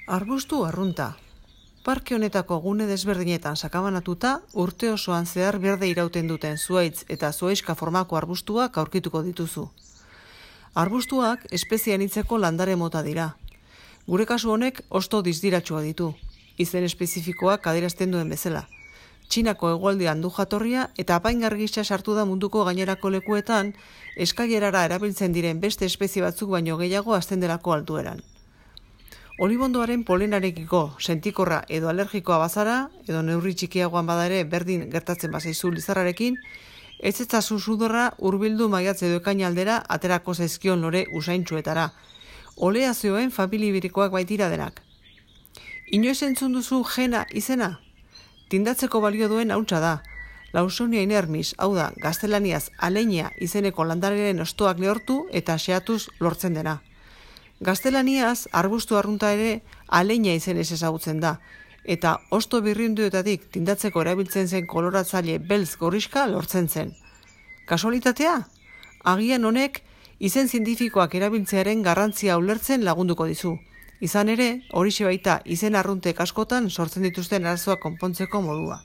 Arbustu arrunta. Parke honetako gune desberdinetan sakabanatuta, urte osoan zehar berde irauten duten zuhaitz eta zuhaixka formako arbustuak aurkituko dituzu. Arbustuak espezie anitzeko landare mota dira. Gure kasu honek hosto dizdiratxua ditu, izen espezifikoak adierazten duen bezala. Txinako hegoaldean du jatorria eta apaingar gisa sartu da munduko gainerako lekuetan, eskailerara erabiltzen diren beste espezie batzuk baino gehiago hasten delako altueran. Olibondoaren polenarekiko sentikorra edo alergikoa bazara, edo neurri txikiagoan bada ere berdin gertatzen bazaizu lizarrarekin, ez etzazu sudorra hurbildu maiatz edo ekaina aldera aterako zaizkion lore usaintsuetara. Oleazioen familibirikoak baitira denak. Inoiz entzun duzu jena izena? Tindatzeko balio duen hauntza da. Lawsonia inermis, hau da, gaztelaniaz aleña izeneko landareren hostoak lehortu eta xeatuz lortzen dena. Gaztelaniaz, arbustu arrunta ere aleña izenez ezagutzen da, eta hosto birrinduetatik tindatzeko erabiltzen zen koloratzaile beltz gorrixka lortzen zen. Kasualitatea? Agian honek izen zientifikoak erabiltzearen garrantzia ulertzen lagunduko dizu. Izan ere, horixe baita izen arruntek askotan sortzen dituzten arazoak konpontzeko modua.